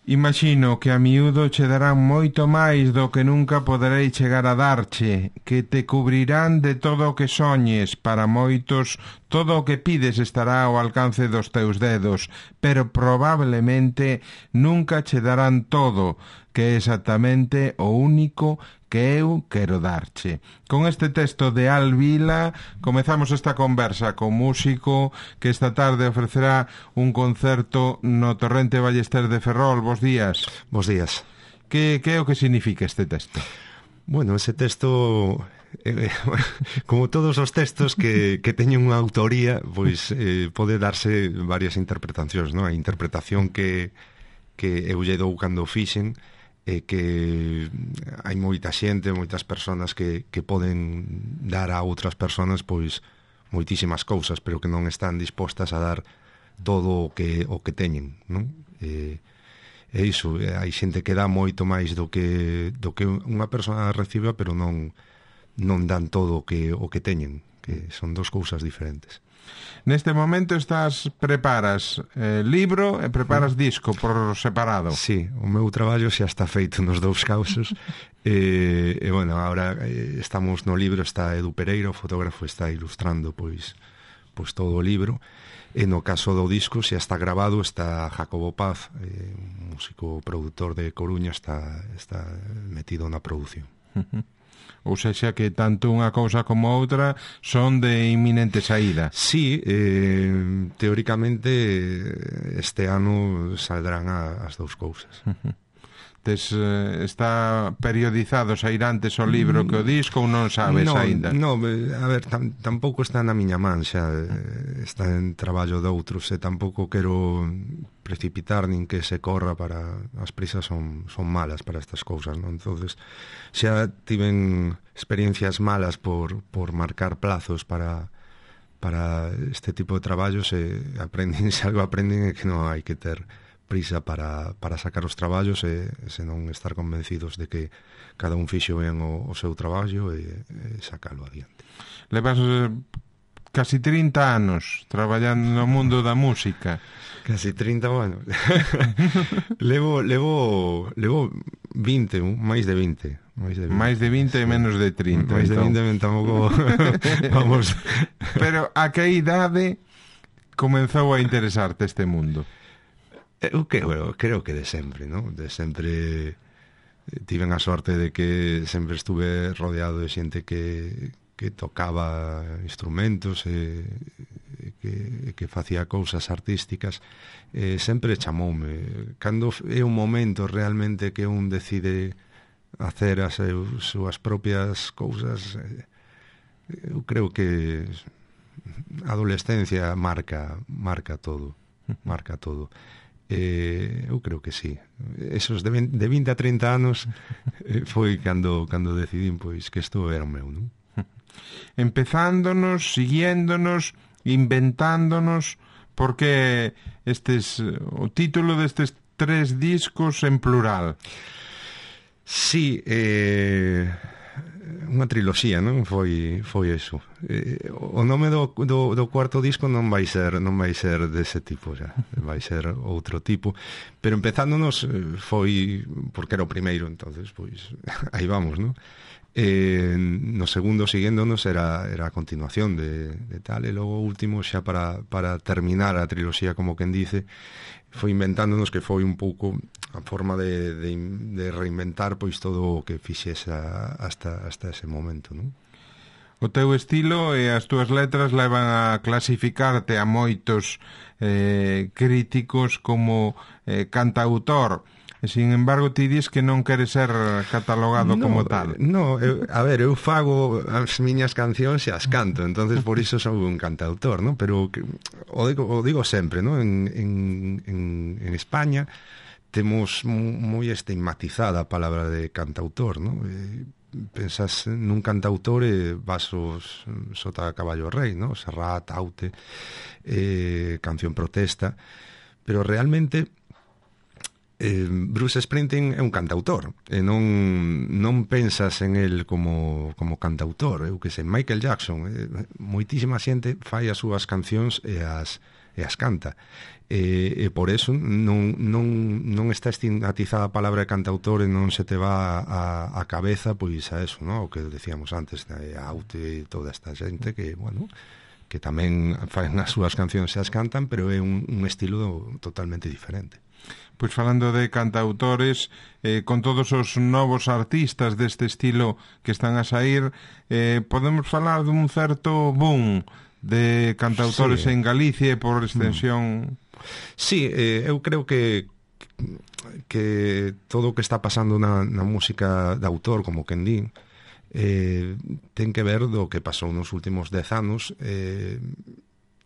Imagino que a miúdo che darán moito máis do que nunca poderei chegar a darche, que te cubrirán de todo o que soñes, para moitos todo o que pides estará ao alcance dos teus dedos, pero probablemente nunca che darán todo, que é exactamente o único que eu quero darche. Con este texto de Al Vila comezamos esta conversa con músico que esta tarde ofrecerá un concerto no Torrente Ballester de Ferrol. Bos días. Bos días. Que é o que significa este texto? Bueno, ese texto, como todos os textos que teñen unha autoría, pois pode darse varias interpretacións, non? A interpretación que eu lle dou cando o fixen é que hai moita xente, moitas persoas que poden dar a outras persoas pois moitísimas cousas, pero que non están dispostas a dar todo o que teñen, non? É iso, hai xente que dá moito máis do que unha persoa reciba, pero non dan todo o que teñen, que son dos cousas diferentes. Neste momento preparas libro e preparas disco por separado. Sí, o meu traballo xa está feito nos dous casos. E bueno, agora estamos no libro, está Edu Pereira, o fotógrafo, está ilustrando pois todo o libro. E no caso do disco xa está grabado, está Jacobo Paz, un músico produtor de Coruña, está metido na produción. Ou seja que tanto unha cousa como outra son de inminente saída. Sí, teóricamente este ano saldrán as dous cousas. Está periodizado sair antes o libro que o disco ou non sabes aínda? Non, a ver, tampouco está na miña man xa, está en traballo de outros, e tampouco quero precipitar nin que se corra, para as prisas son malas para estas cousas, non? Entonces xa tiven experiencias malas por marcar plazos para este tipo de traballos, e se algo aprenden é que non hai que ter prisa para sacar os traballos, e senón estar convencidos de que cada un fixo ben o seu traballo e sacalo adiante. Levas casi 30 anos traballando no mundo da música. Casi 30, bueno. levo 20, máis de 20. Máis de 20 e menos de 30. Máis de 20 tampouco vamos. Pero a que idade comenzou a interesarte este mundo? Eu creo que de sempre, non? De sempre tiven a sorte de que sempre estuve rodeado de xente que tocaba instrumentos e que facía cousas artísticas. Sempre chamoume. Cando é un momento realmente que un decide hacer as súas propias cousas, eu creo que a adolescencia marca todo. Eu creo que sí. Esos de 20 a 30 anos foi cando decidín pois que isto era o meu, non? Empezándonos, siguiéndonos, inventándonos, porque o título destes 3 discos en plural. Sí, unha triloxía, non? Foi eso. O nome do cuarto disco non vai ser dese tipo xa, vai ser outro tipo, pero empezándonos foi porque era o primeiro, entonces pois aí vamos, non? No segundo, siguiéndonos, era a continuación de tal, e logo o último xa para terminar a triloxía, como quen dice, foi inventándonos, que foi un pouco a forma de reinventar pois todo o que fixese hasta ese momento, non? O teu estilo e as túas letras levan a clasificarte a moitos críticos como cantautor. Sin embargo, ti dis que non queres ser catalogado como tal. A ver, eu fago as miñas cancións e as canto, entonces por iso sou un cantautor, non? Pero o digo sempre, non? En España temos moi estigmatizada a palabra de cantautor, non? Pensas nun cantautor e vasos Sota Caballo Rei, non? Serrat, Aute, Canción Protesta, pero realmente Bruce Springsteen é un cantautor e non pensas en el como cantautor. Eu que sei, Michael Jackson, moitísima xente fai as súas cancións e as as canta. E por eso non está estigmatizada a palabra de cantautor e non se te va a cabeza pois a eso, ¿no? O que decíamos antes, a Aute e toda esta xente que, bueno, que tamén fan as súas cancións e as cantan, pero é un estilo totalmente diferente. Pois falando de cantautores, con todos os novos artistas deste estilo que están a sair, podemos falar dun certo boom de cantautores en Galicia e por extensión... Sí, eu creo que todo o que está pasando na música de autor, como quen din, ten que ver do que pasou nos últimos 10 anos,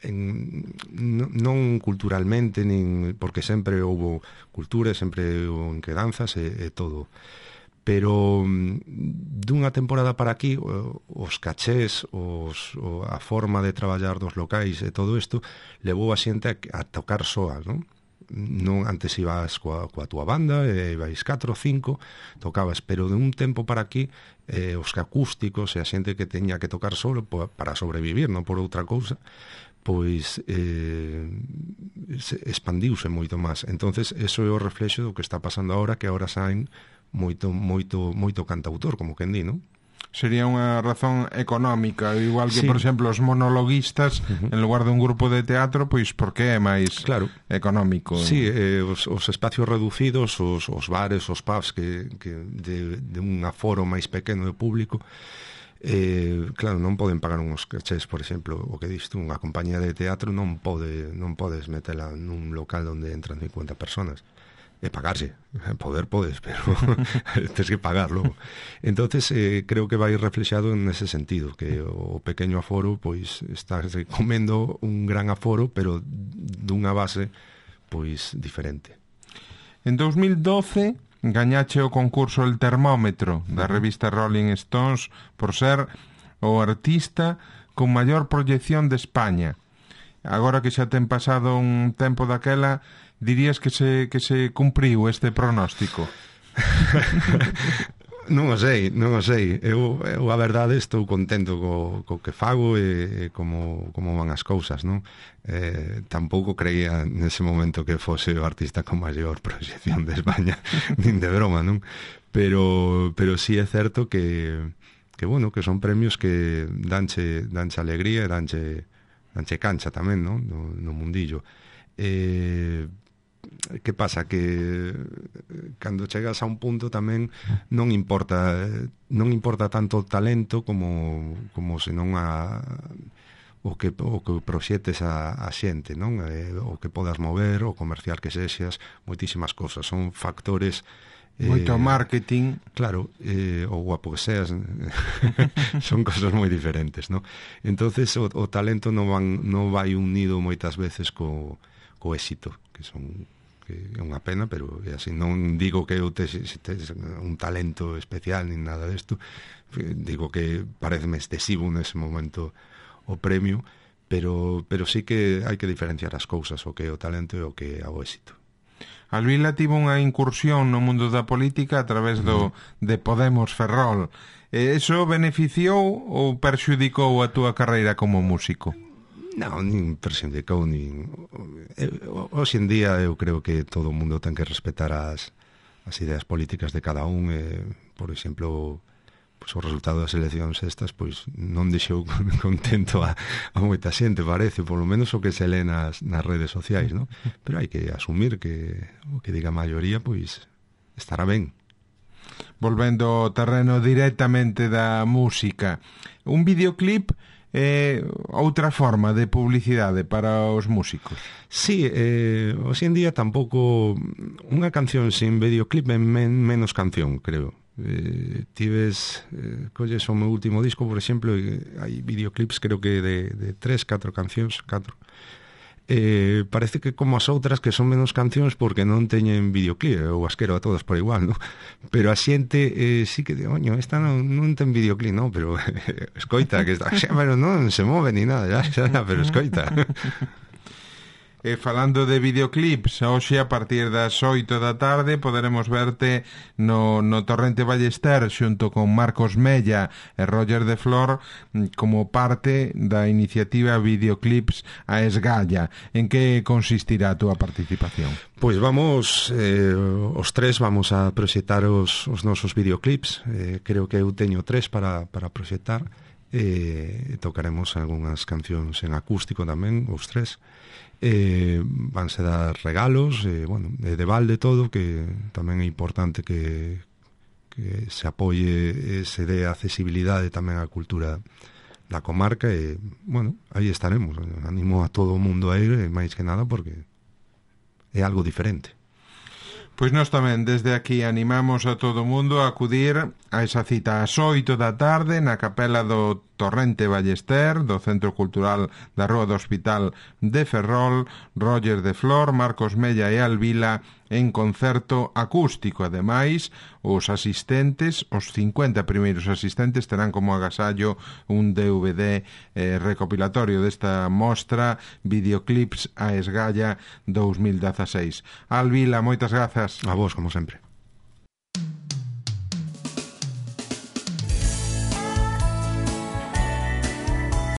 non culturalmente, nin porque sempre houve cultura, sempre houve quedanzas e todo, pero dunha temporada para aquí os cachés, a forma de traballar dos locais e todo isto levou a xente a tocar soa, non? Non, antes ibas coa túa banda, ibais 4 ou 5, tocabas, pero de un tempo para aquí os acústicos e a xente que teña que tocar solo para sobrevivir, non por outra cousa, pois expandiuse moito máis. Entonces, eso é o reflexo do que está pasando agora, que agora saen moito cantautor, como quen di, non? Sería unha razón económica, igual que, por exemplo, os monologuistas, en lugar de un grupo de teatro, pois porque é máis económico. Sí, os espacios reducidos, os bares, os pubs que de un aforo máis pequeno de público, claro, non poden pagar uns cachés, por exemplo, o que diste, unha compañía de teatro non podes metela nun local onde entran 50 personas e pagarse, poder podes, pero tens que pagarlo. Entonces creo que vai reflexado nese sentido, que o pequeño aforo pois está comendo un gran aforo, pero dunha base pois diferente. En 2012 gañache o concurso El Termómetro da revista Rolling Stones por ser o artista con maior proyección de España. Agora que xa ten pasado un tempo daquela, dirías que se cumpriu este pronóstico? Non o sei. Eu a verdade estou contento co que fago e como van as cousas, non? Tampouco creía nese momento que fose o artista con maior proxección de España, nin de broma, non? Pero sí é certo que bueno, que son premios que danche alegría e danche cancha tamén, non? No mundillo. Que pasa? Que cando chegas a un punto tamén non importa tanto o talento como senón o que proxetes a xente, non? O que podas mover, o comercial que sexas, moitísimas cosas, son factores. Moito marketing. Claro, o guapo que seas son cosas moi diferentes, non? Entonces o talento non vai unido moitas veces co éxito, que é unha pena, pero é así. Non digo que eu tes un talento especial nin nada desto, digo que pareceme excesivo nese momento o premio, pero sí que hai que diferenciar as cousas, o que é o talento e o que é o éxito. Alvila tivo unha incursión no mundo da política a través de Podemos Ferrol. Eso beneficiou ou perxudicou a túa carreira como músico? Non, nin perxudicou, nin... Hoxe en día eu creo que todo o mundo ten que respetar as ideas políticas de cada un. Por exemplo, pois o resultado das eleccións estas pois non deixou contento a moita xente, parece, por lo menos o que se lee nas redes sociais, non? Pero hai que asumir que o que diga a maioría pois estará ben. Volvendo ao terreno directamente da música, un videoclip é outra forma de publicidade para os músicos. Sí, hoxe en día tampouco unha canción sin videoclip é menos canción, creo. Colles o meu último disco, por exemplo, hai videoclips creo que de 3-4 cancións, 4. Parece que como as outras que son menos cancións porque non teñen videoclip, ou as quero a todas por igual, non? Pero a xente sí que oño, esta non ten videoclip, non? Pero escoita, que está, pero non se move ni nada, xa, pero escoita. E falando de videoclips, hoxe a partir das 8 da tarde poderemos verte no Torrente Ballester xunto con Marcos Mella e Roger de Flor como parte da iniciativa Videoclips a Esgalla. En que consistirá a túa participación? Pois vamos, os tres vamos a proxectar os nosos videoclips. Creo que eu teño 3 para proxectar. Tocaremos algunhas cancións en acústico tamén, os 3. Vanse dar regalos, bueno, de balde todo, que tamén é importante que se apoie, se dé accesibilidade tamén á cultura da comarca, e, bueno, aí estaremos. Animo a todo o mundo a ir, máis que nada, porque é algo diferente. Pois nós tamén desde aquí animamos a todo o mundo a acudir a esa cita ás 8 da tarde na capela do Torrente Ballester, do Centro Cultural da Rúa do Hospital de Ferrol, Roger de Flor, Marcos Mella e Alvila en concerto acústico. Ademais, os asistentes, os 50 primeiros asistentes, terán como agasallo un DVD recopilatorio desta mostra Videoclips a Esgalla 2016. Alvila, moitas grazas. A vos, como sempre.